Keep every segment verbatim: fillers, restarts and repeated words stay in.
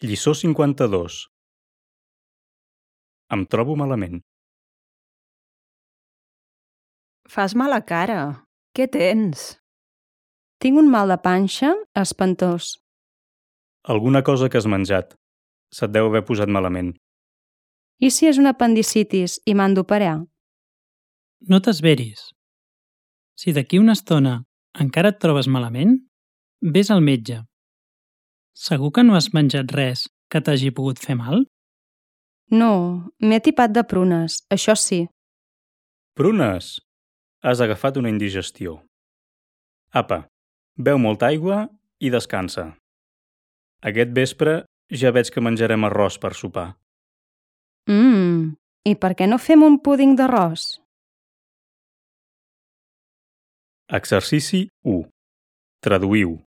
Lliçó cinquanta-dos. Em trobo malament. Fas mala cara. Què tens? Tinc un mal de panxa espantós. Alguna cosa que has menjat. Se't deu haver posat malament. I si és una apendicitis i m'han d'operar? No t'esveris. Si d'aquí una estona encara et trobes malament, vés al metge. Segur que no has menjat res que t'hagi pogut fer mal? No, m'he tipat de prunes, això sí. Prunes! Has agafat una indigestió. Apa, beu molta aigua i descansa. Aquest vespre ja veig que menjarem arròs per sopar. Mmm, i per què no fem un púding d'arròs? Exercici u. Traduïu.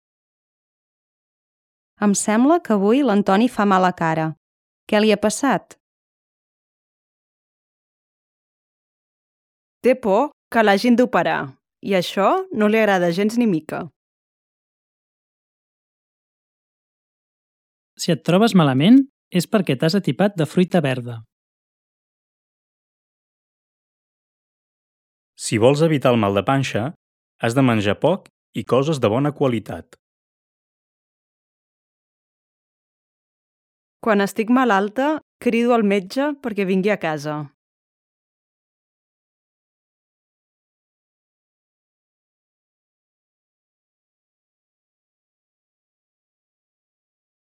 Em sembla que avui l'Antoni fa mala cara. Què li ha passat? Té por que l'hagin d'operar i això no li agrada gens ni mica. Si et trobes malament, és perquè t'has atipat de fruita verda. Si vols evitar el mal de panxa, has de menjar poc i coses de bona qualitat. Quan estic malalta, crido al metge perquè vingui a casa.